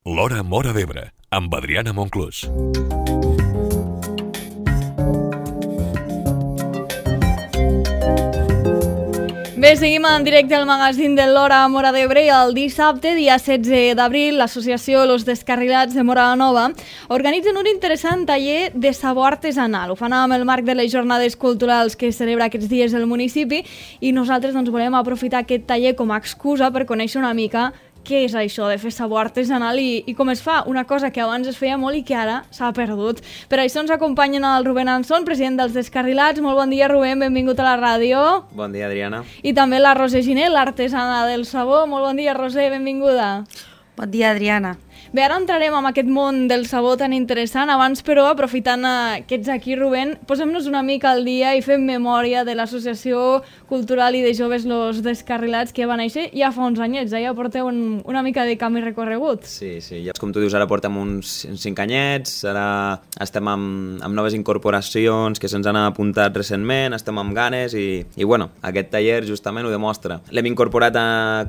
L'Hora Móra d'Ebre, amb Adriana Monclús. Bé, seguim en directe al magazín de l'Hora Móra d'Ebre i el dissabte, dia 16 d'abril, l'associació Los Descarrilats de Móra la Nova organitzen un interessant taller de sabó artesanal. Ho fan amb el marc de les jornades culturals que celebra aquests dies el municipi i nosaltres volem aprofitar aquest taller com a excusa per conèixer una mica què és això de fer sabó artesanal i com es fa, una cosa que abans es feia molt i que ara s'ha perdut. Per això ens acompanyen el Rubén Anson, president dels Descarrilats. Molt bon dia, Rubén, benvingut a la ràdio. Bon dia, Adriana. I també la Roser Giné, l'artesana del sabó. Molt bon dia, Roser, benvinguda. Bon dia, Adriana. Bé, ara entrarem en aquest món del sabó tan interessant. Abans, però, aprofitant que ets aquí, Rubén, posem-nos una mica al dia i fem memòria de l'Associació Cultural i de Joves Los Descarrilats, que va néixer ja fa uns anyets, ja porteu una mica de camí recorregut. Sí, ja, com tu dius, ara portem uns 5 anyets, ara estem amb noves incorporacions que se'ns han apuntat recentment, estem amb ganes i bueno, aquest taller justament ho demostra. L'hem incorporat,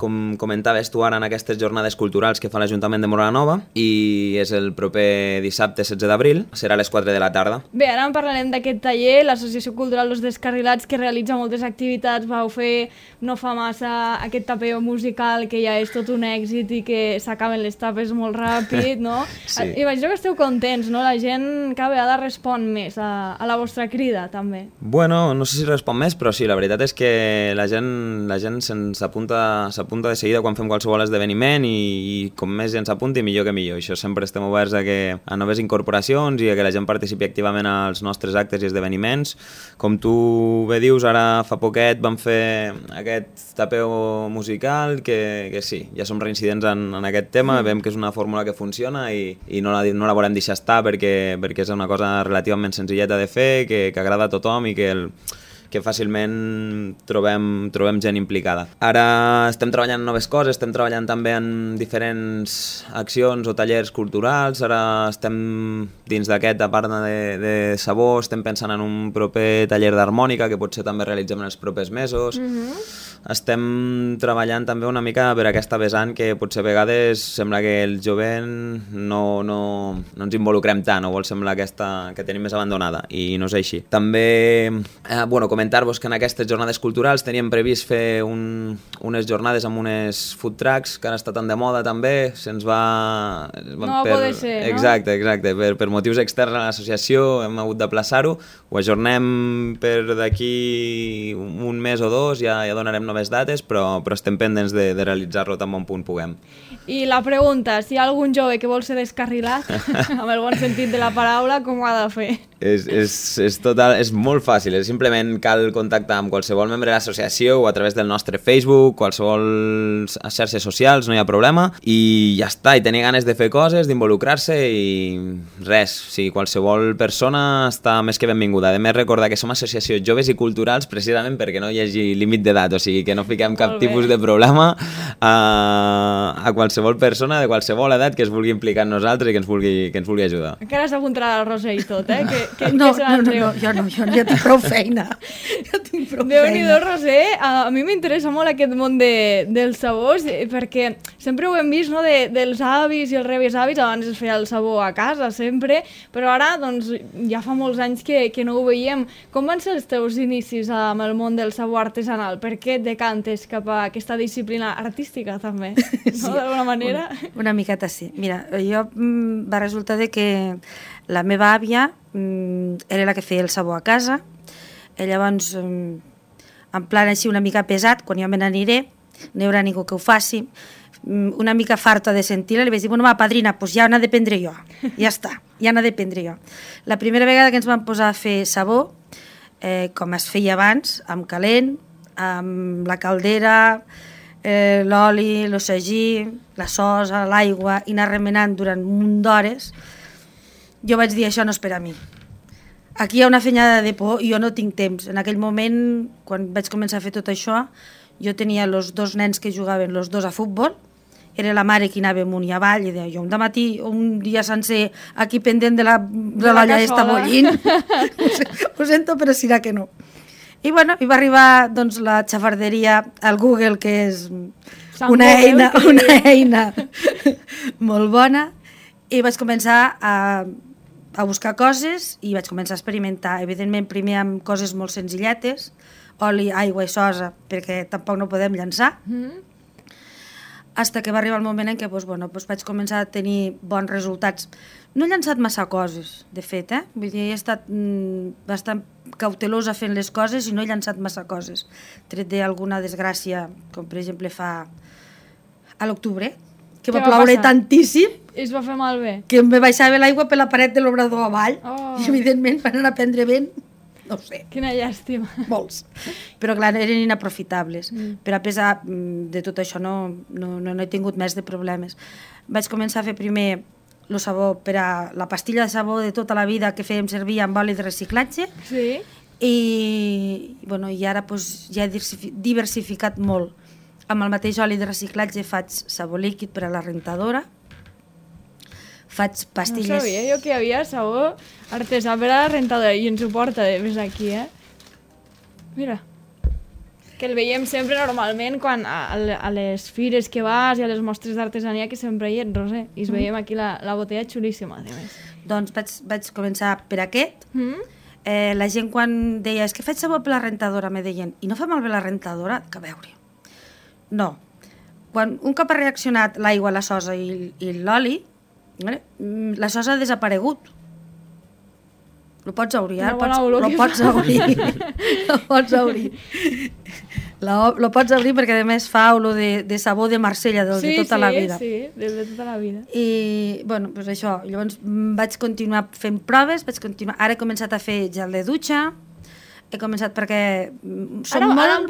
com comentaves tu ara, en aquestes jornades culturals que fa l'Ajuntament de Móra la Nova, i és el proper dissabte 16 d'abril, serà a les 4 de la tarda. Bé, ara en parlarem d'aquest taller, l'Associació Cultural Los Descarrilats, que realitza moltes activitats. Vau fer no fa massa aquest tapeo musical que ja és tot un èxit i que s'acaben les tapes molt ràpid, no? Sí. Imagino que esteu contents, no? La gent cada vegada respon més a la vostra crida, també. Bueno, no sé si respon més, però sí, la veritat és que la gent s'apunta de seguida quan fem qualsevol esdeveniment i com més gent s'apunti, millor que millor. Això sempre estem oberts a noves incorporacions i a que la gent participi activament als nostres actes i esdeveniments. Com tu bé dius, ara fa poquet vam fer aquest tapeo musical que sí, ja som reincidents en aquest tema, veiem que és una fórmula que funciona i no la volem deixar estar perquè és una cosa relativament senzilleta de fer, que agrada a tothom i que fàcilment trobem gent implicada. Ara estem treballant en noves coses, estem treballant també en diferents accions o tallers culturals, ara estem dins d'aquest, a part de sabó, estem pensant en un proper taller d'harmònica que potser també realitzem en els propers mesos. Estem treballant també una mica per aquesta vessant que potser a vegades sembla que el jovent no ens involucrem tant, o vol semblar que tenim més abandonada, i no és així. També, comentar-vos que en aquestes jornades culturals teníem previst fer unes jornades amb unes food trucks, que ara està tan de moda també, se'ns va... No va poder ser, no? Exacte, per motius externs a l'associació hem hagut d'aplaçar-ho, ho ajornem per d'aquí un mes o dos, ja donarem noves dates, però estem pendents de realitzar-lo tan bon punt puguem. I la pregunta, si hi ha algun jove que vol ser descarrilat, amb el bon sentit de la paraula, com ho ha de fer? És molt fàcil, simplement cal contactar amb qualsevol membre de l'associació o a través del nostre Facebook, qualsevol xarxes socials, no hi ha problema, i ja està, i tenir ganes de fer coses, d'involucrar-se i res, sí, qualsevol persona està més que benvinguda. A més, recordar que som associació joves i culturals precisament perquè no hi hagi límit d'edat, o sigui que no fiquem cap tipus de problema a qualsevol persona de qualsevol edat que es vulgui implicar en nosaltres i que ens vulgui ajudar. Encara s'apuntarà la Roser i tot, eh? No, jo ja tinc prou feina. Déu-n'hi-do, Roser, a mi m'interessa molt aquest món dels sabors, perquè sempre ho hem vist, no?, dels avis i els rebesavis. Abans es feia el sabó a casa, sempre, però ara doncs, ja fa molts anys que no ho veiem. Com van ser els teus inicis amb el món del sabó artesanal? Per què et decantes cap a aquesta disciplina artística, també? Sí, no, d'alguna manera? Una miqueta sí. Mira, jo va resultar que la meva àvia era la que feia el sabó a casa. Llavors, en plan així una mica pesat, quan jo me n'aniré, no hi haurà ningú que ho faci, una mica farta de sentir-la, li vaig dir, bueno, va, padrina, doncs ja n'ha de prendre jo. Ja està, ja n'ha de prendre jo. La primera vegada que ens vam posar a fer sabó, com es feia abans, amb calent, amb la caldera, l'oli, l'ossegí, la sosa, l'aigua, i anar remenant durant un munt d'hores, jo vaig dir, això no és per a mi. Aquí hi ha una fenyada de por i jo no tinc temps. En aquell moment, quan vaig començar a fer tot això, jo tenia els 2 nens que jugaven, els 2 a futbol, era la mare que anava amunt i avall, i deia, jo un dematí, un dia sencer, aquí pendent de la olla està bullint. Ho sento, però serà que no. I bueno, i va arribar doncs, la xafarderia al Google, que és una eina molt bona, i vaig començar a buscar coses i vaig començar a experimentar, evidentment primer amb coses molt senzilletes, oli, aigua i sosa, perquè tampoc no podem llançar, hasta que va arribar el moment en què vaig començar a tenir bons resultats. No he llançat massa coses, de fet, vull dir, he estat bastant cautelosa fent les coses i no he llançat massa coses, tret d'alguna desgràcia, com per exemple fa a l'octubre, que va ploure tantíssim i es va fer malbé, que em baixava l'aigua per la paret de l'obrador avall i evidentment van anar a prendre vent, no ho sé. Quina llàstima. Molts. Però clar, eren inaprofitables. Però a pesar de tot això no he tingut més de problemes. Vaig començar a fer primer el sabó per a la pastilla de sabó de tota la vida que fèiem servir amb oli de reciclatge. Sí. I ara ja he diversificat molt. Amb el mateix oli de reciclatge faig sabó líquid per a la rentadora, faig pastilles... No sabia jo que hi havia sabó artesà per a la rentadora i ens ho porta des d'aquí, Mira, que el veiem sempre normalment quan a les fires que vas i a les mostres d'artesania que sempre hi ets, Roser, i es veiem aquí la botella xulíssima, a més. Doncs vaig començar per aquest. La gent quan deia, és que faig sabó per la rentadora, me deien, i no fa malbé la rentadora? Que a veure. No. Quan un cop ha reaccionat l'aigua, la sosa i l'oli, la sosa ha desaparegut. Lo pots obrir, lo pots obrir. Lo pots obrir. Lo pots obrir perquè a més fa olor de sabó de Marsella de tota la vida. Sí, de tota la vida. I, doncs això, llavors vaig continuar fent proves, ara he començat a fer gel de dutxa, he començat perquè són molt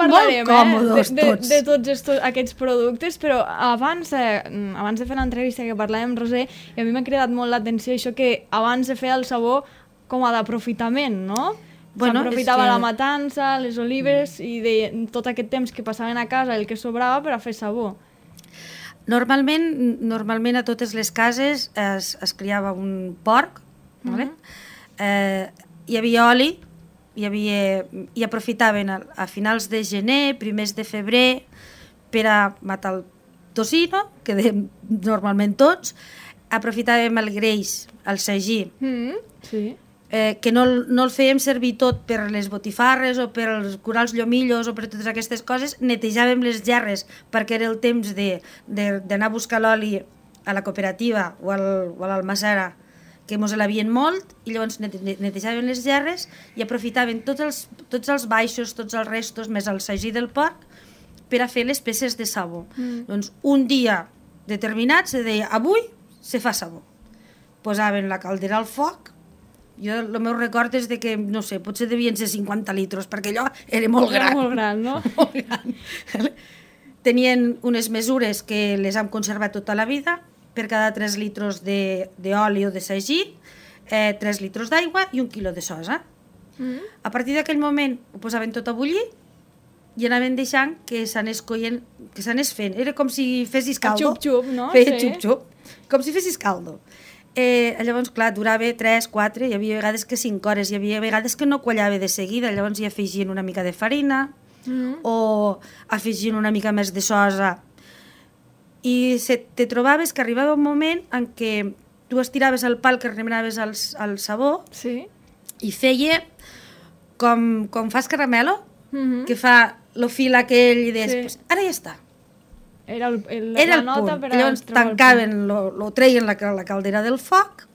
còmodes tots. De tots aquests productes, però abans de fer l'entrevista que parlàvem, Roser, i a mi m'ha cridat molt l'atenció això que abans de fer el sabó com a d'aprofitament, no? S'aprofitava la matança, les olives i tot aquest temps que passaven a casa, el que sobrava per a fer sabó. Normalment a totes les cases es criava un porc, hi havia oli, i aprofitaven a finals de gener, primers de febrer, per a matar el tocino, que dèiem normalment tots, aprofitàvem el greix, el sagí, que no el fèiem servir tot per les botifarres o per curar els llomillos o per totes aquestes coses, netejàvem les gerres perquè era el temps d'anar a buscar l'oli a la cooperativa o a l'almassera, que mos l'havien molt, i llavors netejaven les gerres i aprofitaven tots els baixos, tots els restos, més el sagí del porc, per a fer les peces de sabó. Doncs un dia determinat se deia, avui se fa sabó. Posaven la caldera al foc, jo el meu record és que, no sé, potser devien ser 50 litres, perquè allò era molt gran. Era molt gran, no? Molt gran. Tenien unes mesures que les hem conservat tota la vida, per cada 3 litres d'oli o de sagí, 3 litres d'aigua i 1 quilo de sosa. A partir d'aquell moment ho posaven tot a bullir i anaven deixant que s'anés coient, que s'anés fent. Era com si fessis caldo. Xup-xup, no? Feia xup-xup, com si fessis caldo. Llavors, clar, durava 3, 4, hi havia vegades que 5 hores, hi havia vegades que no quallava de seguida, llavors hi afegien una mica de farina o afegien una mica més de sosa. I te trobaves que arribava un moment en què tu estiraves el pal que remenaves al sabó i feia com fas caramelo, que fa el fil aquell i deies, ara ja està. Era el punt. Llavors tancaven, lo treien la caldera del foc,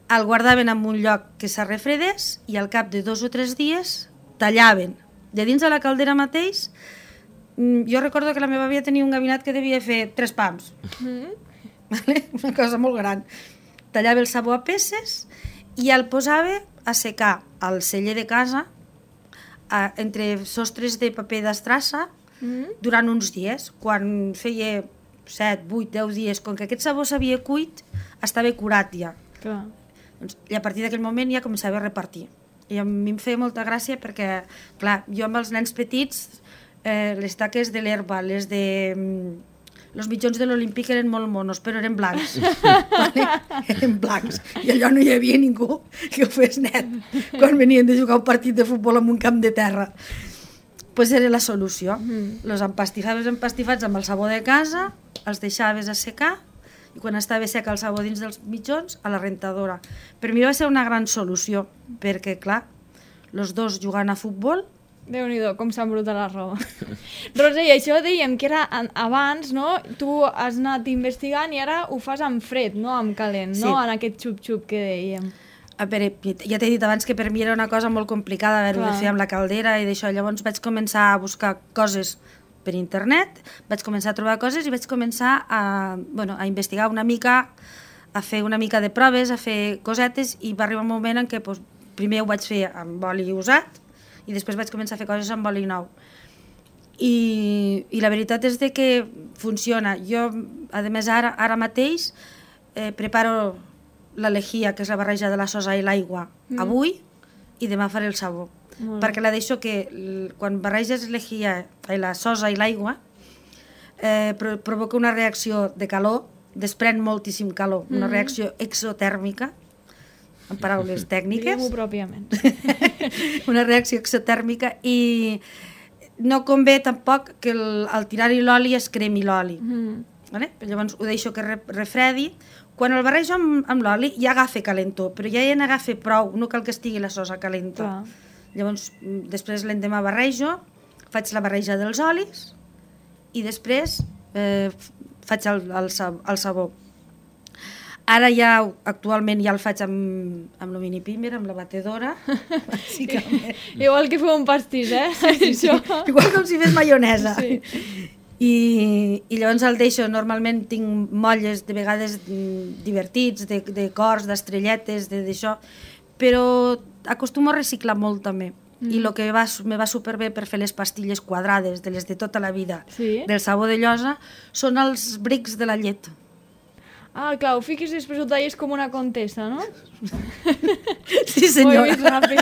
el guardaven en un lloc que s'arrefredés i al cap de 2 o 3 dies tallaven de dins de la caldera mateix. Jo recordo que la meva àvia tenia un gabinet que devia fer 3 pams. Una cosa molt gran. Tallava el sabó a peces i el posava a secar al celler de casa entre sostres de paper d'estrassa durant uns dies. Quan feia 7, 8, 10 dies, com que aquest sabó s'havia cuit, estava curat ja. I a partir d'aquell moment ja començava a repartir. I a mi em feia molta gràcia perquè, clar, jo amb els nens petits, les taques de l'herba, les mitjons de l'Olímpic eren molt monos, però eren blancs. Eren blancs. I allò no hi havia ningú que ho fes net quan venien de jugar un partit de futbol en un camp de terra. pues era la solució. Los empastifats amb el sabó de casa, els deixaves assecar, i quan estava sec el sabó dins dels mitjons, a la rentadora. Per mi va ser una gran solució, perquè, clar, els dos jugant a futbol. Déu-n'hi-do, com s'embruta la roba. Roser, i això dèiem que era abans, no? Tu has anat investigant i ara ho fas amb fred, no amb calent, no? En aquest xup-xup que dèiem. A veure, ja t'he dit abans que per mi era una cosa molt complicada haver-ho de fer amb la caldera i d'això. Llavors vaig començar a buscar coses per internet, vaig començar a trobar coses i vaig començar a investigar una mica, a fer una mica de proves, a fer cosetes, i va arribar un moment en què primer ho vaig fer amb oli usat i després vaig començar a fer coses amb oli nou. I la veritat és que funciona. Jo, a més, ara mateix preparo la lejía, que és la barreja de la sosa i l'aigua, avui, i demà faré el sabó. Perquè la deixo que quan barreges la sosa i l'aigua provoca una reacció de calor, desprèn moltíssim calor, una reacció exotèrmica, en paraules tècniques. Diguem-ho pròpiament. Una reacció exotèrmica, i no convé tampoc que al tirar-hi l'oli es cremi l'oli. Llavors ho deixo que refredi. Quan el barrejo amb l'oli ja agafa calentó, però ja n'agafa prou, no cal que estigui la sosa calenta. Llavors, després l'endemà barrejo, faig la barreja dels olis i després faig el sabó. Ara ja, actualment, ja el faig amb el mini pimer, amb la batedora, bàsicament. Igual que fer un pastís, Sí. Igual com si fes maionesa. Sí. I llavors el deixo, normalment tinc molles de vegades divertits, de cors, d'estrelletes, d'això, però acostumo a reciclar molt també. I el que me va superbé per fer les pastilles quadrades, de les de tota la vida, del sabó de llosa, són els brics de la llet. Ah, clar, ho fiquis i després ho talles com una contessa, no? Sí, senyora. Ho he vist ràpid.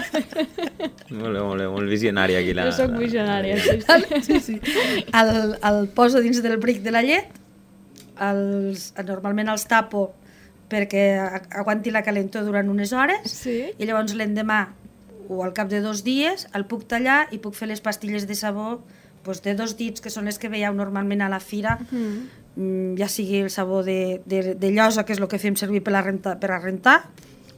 Molt visionària aquí. Jo soc visionària, sí. El poso dins del bric de la llet, normalment els tapo perquè aguanti la calentor durant unes hores, i llavors l'endemà o al cap de 2 dies el puc tallar i puc fer les pastilles de sabó de 2 dits, que són les que veieu normalment a la fira, ja sigui el sabó de llosa, que és el que fem servir per a rentar,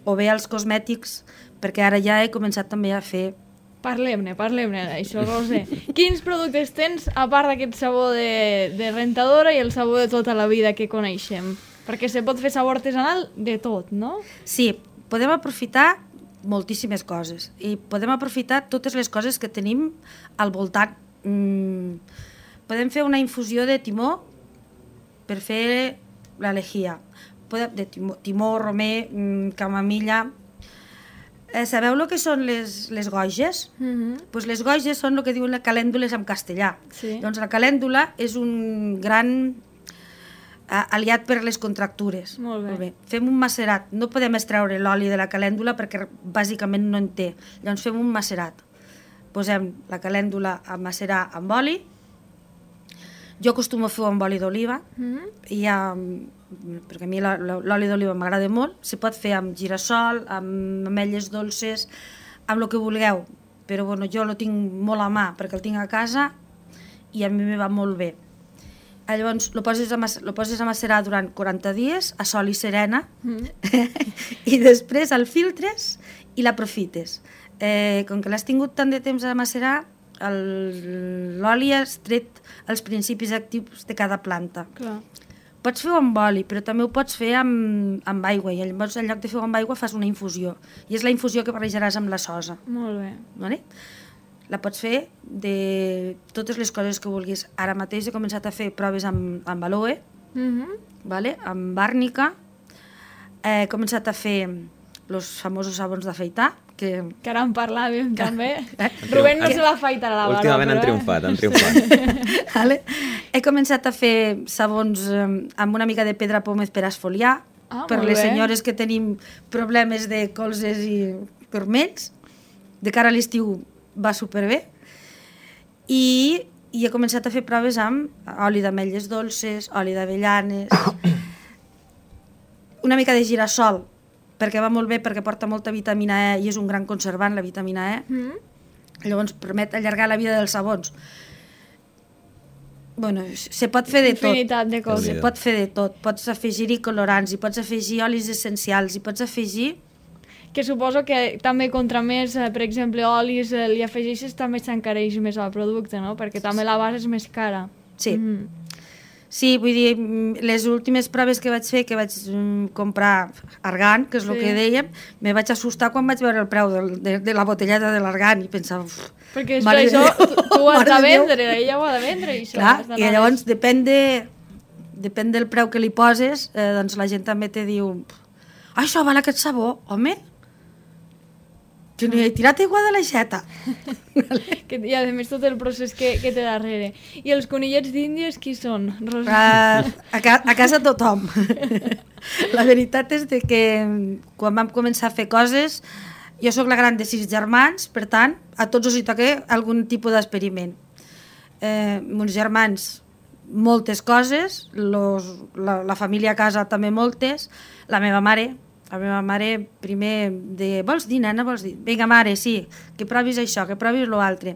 o bé els cosmètics, perquè ara ja he començat també a fer. Parlem-ne d'això, Roser. Quins productes tens, a part d'aquest sabó de rentadora i el sabó de tota la vida que coneixem? Perquè se pot fer sabó artesanal de tot, no? Sí, podem aprofitar moltíssimes coses, i podem aprofitar totes les coses que tenim al voltant. Podem fer una infusió de timó per fer la lejía, de timó, romer, camamilla. Sabeu el que són les goges? Les goges són el que diuen les calèndules en castellà. Doncs la calèndula és un gran aliat per les contractures. Molt bé. Fem un macerat. No podem extreure l'oli de la calèndula perquè bàsicament no en té. Llavors fem un macerat. Posem la calèndula a macerar amb oli. Jo acostumo a fer amb oli d'oliva, perquè a mi l'oli d'oliva m'agrada molt. Se pot fer amb girassol, amb ametlles dolces, amb el que vulgueu, però jo el tinc molt a mà perquè el tinc a casa i a mi me va molt bé. Llavors lo poses a macerar durant 40 dies a sol i serena, i després el filtres i l'aprofites. Com que l'has tingut tant de temps a macerar, l'oli has tret els principis actius de cada planta. Pots fer-ho amb oli, però també ho pots fer amb aigua, i llavors en lloc de fer-ho amb aigua fas una infusió, i és la infusió que barrejaràs amb la sosa. Molt bé. Vale? La pots fer de totes les coses que vulguis. Ara mateix he començat a fer proves amb aloe, amb àrnica, he començat a fer els famosos sabons d'afaitar, que ara en parlàvem també. Rubén no se va afaitar a la barba. Últimament han triomfat. He començat a fer sabons amb una mica de pedra pòmez per esfoliar, per les senyores que tenim problemes de colzes i turmells. De cara a l'estiu va superbé. I he començat a fer proves amb oli d'ametlles dolces, oli d'avellanes, una mica de girassol, perquè va molt bé, perquè porta molta vitamina E i és un gran conservant, la vitamina E. Llavors permet allargar la vida dels sabons. Bueno, se pot fer de tot. Infinitat de coses. Se pot fer de tot. Pots afegir-hi colorants, hi pots afegir olis essencials, hi pots afegir... Que suposo que també contra més, per exemple, olis li afegeixes, també s'encareix més el producte, no? Perquè també la base és més cara. Sí. Sí, vull dir, les últimes proves que vaig fer, que vaig comprar argan, que és el que dèiem, me vaig assustar quan vaig veure el preu de la botelleta de l'argan i pensava... Perquè això tu ho has de vendre, ella ho ha de vendre. I clar, i llavors depèn del preu que li poses, doncs la gent també te diu això val aquest sabó, home? Que no hi he tirat aigua de l'aixeta. I a més tot el procés que té darrere. I els conillets d'Índies qui són? A casa tothom. La veritat és que quan vam començar a fer coses, jo sóc la gran de 6 germans, per tant, a tots els hi toca algun tipus d'experiment. Meus germans, moltes coses, la família a casa també moltes, la meva mare primer de vols dir, nena, vols dir? Vinga, mare, sí, que provis això, que provis l'altre.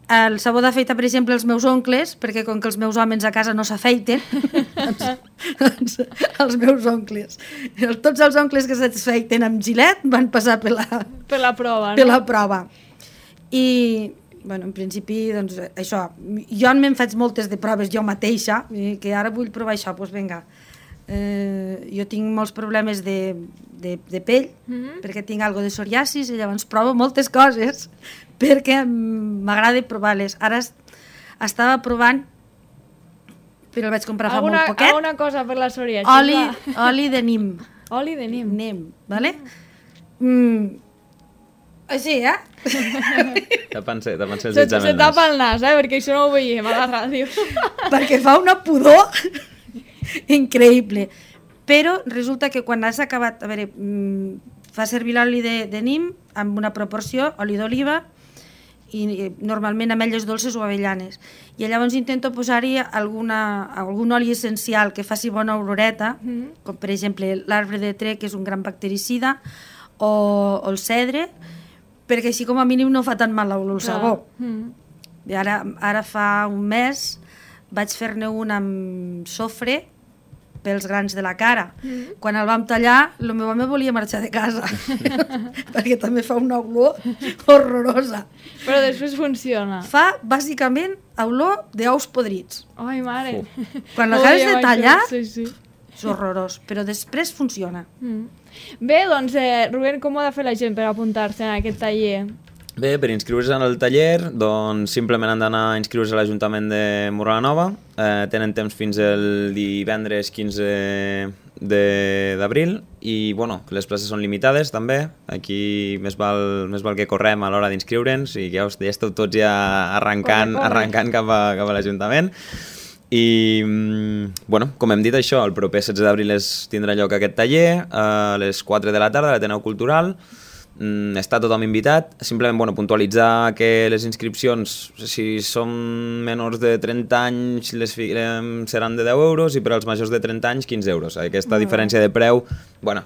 El sabó d'afeitar, per exemple, els meus oncles, perquè com que els meus homes a casa no s'afeiten, doncs els meus oncles, tots els oncles que s'afeiten amb gilet van passar per la prova, per la prova. I, bueno, en principi, doncs, això, jo me'n faig moltes de proves jo mateixa, que ara vull provar això, doncs vinga. Jo tinc molts problemes de pell, perquè tinc algo de psoriasis, i llavors provo moltes coses perquè m'agrada provar-les. Ara estava provant, però el vaig comprar fa molt poquet. Alguna cosa per la psoriasis. Oli de nim. Oli de nim. Nim, vale? Així, Tapen-se els dits amb Se el nas. tapa el nas, perquè això no ho veiem a la ràdio. Perquè fa una pudor increïble. Però resulta que quan has acabat, a veure, fa servir l'oli de nim amb una proporció, oli d'oliva i normalment ametlles dolces o avellanes. I llavors intento posar-hi algun oli essencial que faci bona oloreta, com per exemple l'arbre de tre, que és un gran bactericida, o el cedre, perquè així com a mínim no fa tan mal el sabó. I ara fa un mes vaig fer-ne un amb sofre pels grans de la cara. Quan el vam tallar, el meu home volia marxar de casa perquè també fa una olor horrorosa. Però després funciona. Fa bàsicament olor d'ous podrits. Ai, mare. Quan l'acabes de tallar, sí. és horrorós, però després funciona. Bé, doncs, Rubén, com ho ha de fer la gent per apuntar-se en aquest taller? Bé, per inscriure's en el taller, doncs simplement han d'anar a inscriure's a l'Ajuntament de Móra-la-Nova. Tenen temps fins el divendres 15 d'abril i, bueno, les places són limitades també. Aquí més val que correm a l'hora d'inscriure'ns i que ja esteu tots ja arrencant cap a l'Ajuntament. I, bueno, com hem dit això, el proper 16 d'abril tindrà lloc aquest taller a les 4 de la tarda a l'Ateneu Cultural. Està tothom invitat, simplement puntualitzar que les inscripcions, si són menors de 30 anys, seran de 10 euros i per als majors de 30 anys 15 euros. Aquesta diferència de preu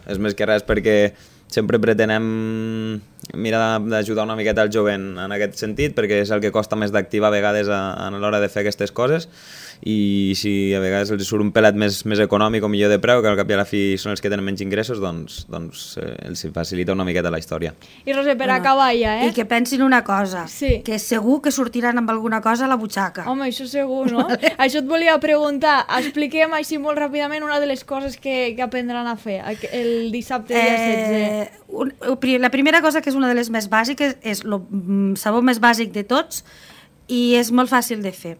és més que res perquè sempre pretenem mirar d'ajudar una miqueta al jovent en aquest sentit, perquè és el que costa més d'activar a vegades a l'hora de fer aquestes coses, i si a vegades els surt un pelat més econòmic o millor de preu, que al cap i a la fi són els que tenen menys ingressos, doncs els facilita una miqueta la història. I Roser, per acabar ja, I que pensin una cosa, que segur que sortiran amb alguna cosa a la butxaca. Home, això segur, no? Això et volia preguntar. Expliquem així molt ràpidament una de les coses que aprendran a fer el dissabte dia 16. La primera cosa, que és una de les més bàsiques, és el sabó més bàsic de tots i és molt fàcil de fer.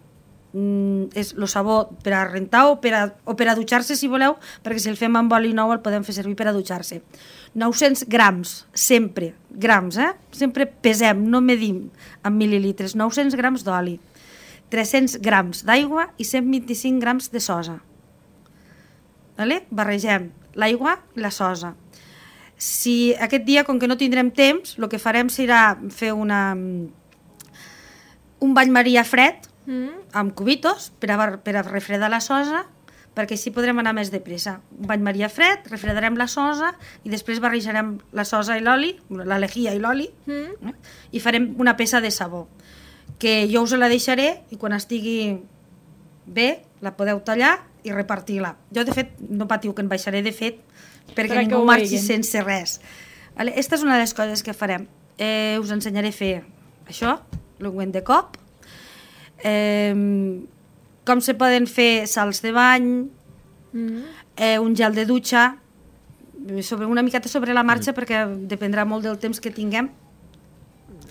És el sabó per a rentar o per a dutxar-se, si voleu, perquè si el fem amb oli nou el podem fer servir per a dutxar-se. 900 grams, sempre, grams, sempre pesem, no medim en mil·lilitres, 900 grams d'oli, 300 grams d'aigua i 125 grams de sosa. Barregem l'aigua i la sosa. Si aquest dia, com que no tindrem temps, el que farem serà fer un bany maria fred amb cubitos per a refredar la sosa, perquè així podrem anar més de pressa. Un bany maria fred, refredarem la sosa i després barrejarem la sosa i l'oli, la lejía i l'oli, i farem una peça de sabó, que jo us la deixaré i quan estigui bé la podeu tallar i repartir-la. Jo, de fet, no patiu que en baixaré de fet perquè ningú marxi sense res. Esta és una de les coses que farem. Us ensenyaré a fer això, l'ungüent de cop, com se poden fer salts de bany, un gel de dutxa, una miqueta sobre la marxa perquè dependrà molt del temps que tinguem.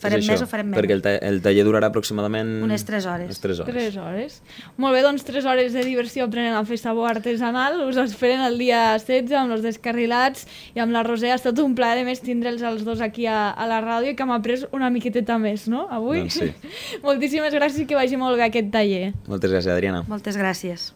Farem més o farem menys? Perquè el taller durarà aproximadament... Unes 3 hores. 3 hores. Molt bé, doncs 3 hores de diversió aprenent a fer sabó artesanal. Us esperen el dia 16 amb els Descarrilats i amb la Roser. Ha estat un plaer, a més, tindre'ls els dos aquí a la ràdio i que hem après una miqueteta més, no?, avui. Doncs sí. Moltíssimes gràcies i que vagi molt bé aquest taller. Moltes gràcies, Adriana. Moltes gràcies.